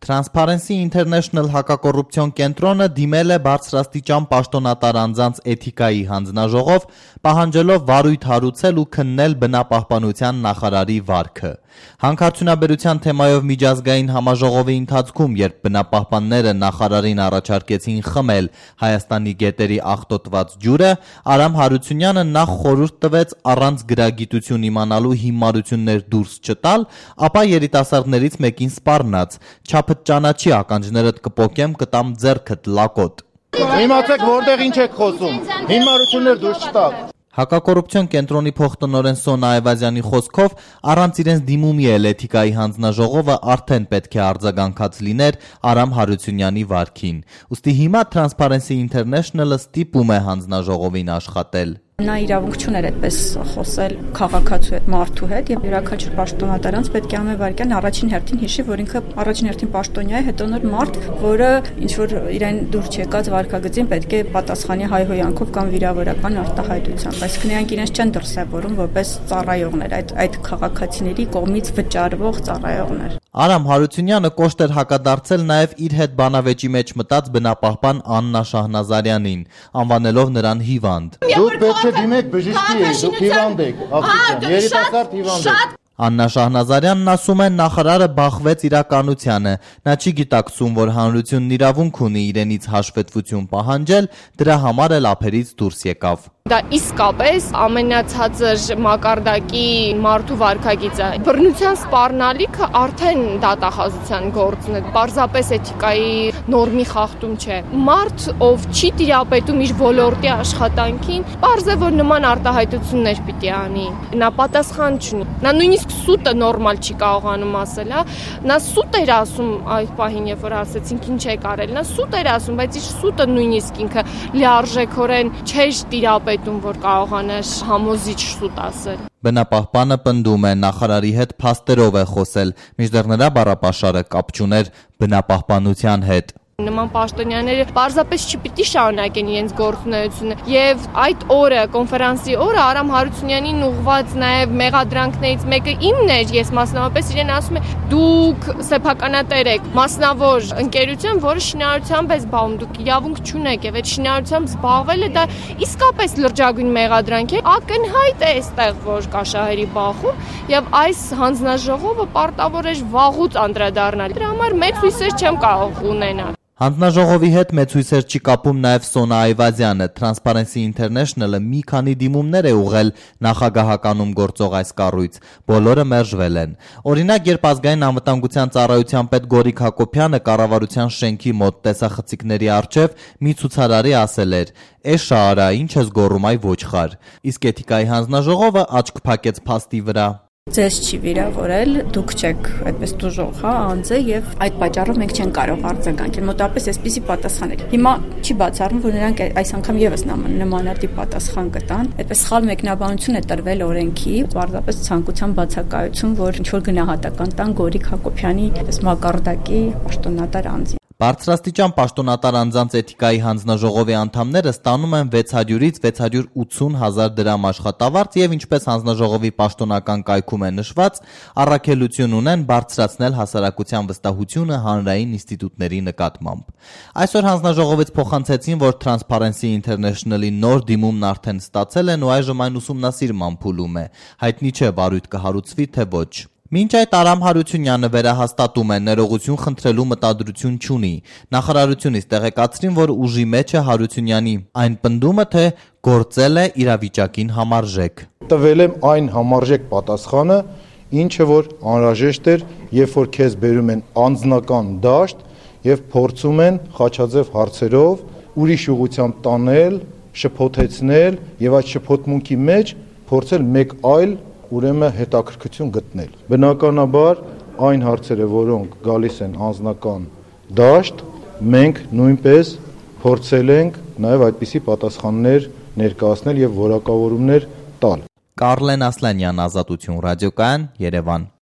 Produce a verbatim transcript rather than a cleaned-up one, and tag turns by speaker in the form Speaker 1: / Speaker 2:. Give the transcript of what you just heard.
Speaker 1: Transparency International հակակոռուպցիոն կենտրոնը դիմել է բարձրաստիճան պաշտոնատար անձանց էթիկայի հանձնաժողով, պահանջելով վարույթ հարուցել ու քննել բնապահպանության նախարարի վարքը։ Հանքարդյունաբերության թեմայով միջազգային համաժողովի ընթացքում, երբ բնապահպանները նախարարին առաջարկեցին խմել Հայաստանի գետերի աղտոտված ջուրը, Արամ Հարությունյանը նախ խորհուրդ տվեց առանց գրագիտություն իմանալու հիմարություններ դուրս չտալ, ապա երիտասարդներից մեկին սպառնաց. «Չափդ ճանաչի, ականջներդ կպոկեմ, կտամ ձեռքդ լակոտ»։
Speaker 2: Իմացեք որտեղ ինչ եք խոսում, հիմարություններ դուրս չտալ։
Speaker 1: Հակակոռուպցիոն կենտրոնի փոխտնօրեն Սոնա Այվազյանի խոսքով, առանց իրենց դիմումի էլ էթիկայի հանձնաժողովը արդեն պետք է արձագանքած լիներ Արամ Հարությունյանի վարքին։ Ուստի հիմա Transparency International-ը ստիպում է հանձնաժողովին աշխատել։
Speaker 3: Նա իրավունք չուներ այդպես խոսել քաղաքացու հետ, մարդու հետ, եւ յուրաքանչյուր պաշտոնատարանց պետք է ամեն վարքյան առաջին հերթին հիշի, որ ինքը առաջին հերթին պաշտոնյա է, հետո նոր մարդ, որը ինչ որ իրեն դուր չեկած վարքագծին պետք է պատասխանի հայհոյանքով կամ վիրավորական արտահայտությամբ։ Այսինքն նրանք իրենց չեն դրսևորում որպես ծառայողներ, այդ այդ քաղաքացիների կողմից վճարվող ծառայողներ։
Speaker 1: Արամ Հարությունյանը կոշտ էր հակադարձել նաև իր հետ բանավեճի մեջ մտած բնապահպան Աննա Շահնազարյանին, անվանելով նրան հիվանդ։
Speaker 2: Դուք պետք է դիմեք բժշկի, դուք հիվանդ եք, աղջիկան, երիտասարդ հիվանդ եք։
Speaker 1: Աննա Շահնազարյանն ասում է, նախարարը բախվեց իրականությանը, նա չի գիտակցում, որ հանրությունն իրավունք ունի իրենից հաշվետվություն պահանջել, դրա համար էլ ափերից դուրս եկավ։
Speaker 4: Դա իսկապես ամենացածր մակարդակի մարդու վարքագիծը։ Բռնության սպառնալիքը արդեն դատախազության գործն է, պարզապես էթիկայի նորմի խախտում չէ։ Մարդ, ով չի տիրապետում իր ոլորտի աշխատանքին, պարզ է, որ նման արտահայտություններ պիտի անի։ Նա պատասխան չունի։ Նա նույնիսկ սուտը նորմալ չի կարողանում ասել, հա։ Նա սուտ էր ասում այդ պահին, երբ որ ասեցինք ինչ է կարել։ Նա սուտ էր ասում, բայց իր սուտը նույնիսկ ինքը լիարժեքորեն չէր տիրապետում, որ կարողանար համոզիչ սուտ ասել։
Speaker 1: Բնապահպանը պնդում է, նախարարի հետ փաստերով է խոսել, մինչդեռ նրա բառապաշարը կապ չուներ բնապահպանության հետ։
Speaker 4: Նման պաշտոնյաները պարզապես չպիտի շարունակեն իրենց գործունեությունը եւ այդ օրը, կոնֆերանսի օրը Արամ Հարությունյանին ուղղված նաեւ մեղադրանքներից մեկը իմն էր, ես մասնավորապես իրեն ասում եմ, դուք սեփականատեր եք, մասնավոր ընկերություն, որը շինարարությամբ է զբաղվում, դուք իրավունք չունեք եւ այդ շինարարությամբ զբաղվելը դա իսկապես լրջագույն մեղադրանք է, ակնհայտ է այստեղ, որ կա շահերի բախում եւ այս հանձնաժողովը պարտավոր է վաղուց անդրադառնալ։ Դրա համար մեծ հույսեր չեմ կարող ունենալ։
Speaker 1: Հանձնաժողովի հետ մեծ հույսեր չի կապում նաև Սոնա Այվազյանը։ Transparency International-ը մի քանի դիմումներ է ուղղել նախագահականում գործող այս կառույց, բոլորը մերժվել են։ Օրինակ, երբ ազգային անվտանգության ծառայության պետ Գորիկ Հակոբյանը կառավարության շենքի մոտ տեսախցիկների առջև մի ցուցարարի ասել էր. «Էշա արա, ինչ ես գոռում այ ոչխար»։ Իսկ էթիկայի հանձնաժողովը աչք փակեց փաստի վրա։
Speaker 3: Ձեզ չի վիրավորել, դուք չեք այդպես դժոխ, հա, անձը եւ այդ պատճառով մենք չենք կարող արձագանքել։ Մոտավորապես այսպիսի պատասխան էր։ Հիմա չի բացառվում, որ նրանք այս անգամ եւս նմանատիպ պատասխան կտան։ Այդպես սխալ մեկնաբանություն է տրվել օրենքի, պարզապես ցանկության բացակայություն, որ ինչ որ գնահատական տան Գորիկ Հակոբյանի այս մակարդակի պաշտոնատար անձի։
Speaker 1: Բարձրաստիճան պաշտոնատար անձանց էթիկայի հանձնաժողովի անդամները ստանում են վեց հարյուրից վեց հարյուր ութսուն հազար դրամ աշխատավարձ եւ ինչպես հանձնաժողովի պաշտոնական կայքում է նշված, առաքելություն ունեն բարձրացնել հասարակության վստահությունը հանրային ինստիտուտների նկատմամբ։ Այսօր հանձնաժողովից փոխանցեցին, որ Transparency International-ի նոր դիմումն արդեն ստացել են ու այժմ այն ուսումնասիրման փուլում է։ Հայտնի չէ վարույթ կհարուցվի թե ոչ։ Մինչ այդ Արամ Հարությունյանը վերահաստատում է, ներողություն խնդրելու մտադրություն չունի։ Նախարարությունից տեղեկացրին, որ ուժի մեջ է Հարությունյանի այն պնդումը, թե գործել է իրավիճակին համարժեք։
Speaker 2: Տվել եմ այն համարժեք պատասխանը, ինչը որ անհրաժեշտ էր, երբ որ քեզ բերում են անձնական դաշտ եւ փորձում են խաչաձև հարցերով ուրիշ ուղղությամբ տանել, շփոթեցնել եւ այդ շփոթմունքի մեջ փորձել մեկ այլ ուրեմն հետաքրքրություն գտնել։ Բնականաբար այն հարցերը, որոնք գալիս են անձնական դաշտ, մենք նույնպես փորձել ենք նաև այդպիսի պատասխաններ ներկայացնել եւ որակավորումներ տալ։
Speaker 1: Կարլեն Ասլանյան, Ազատություն ռադիոկայան, Երևան։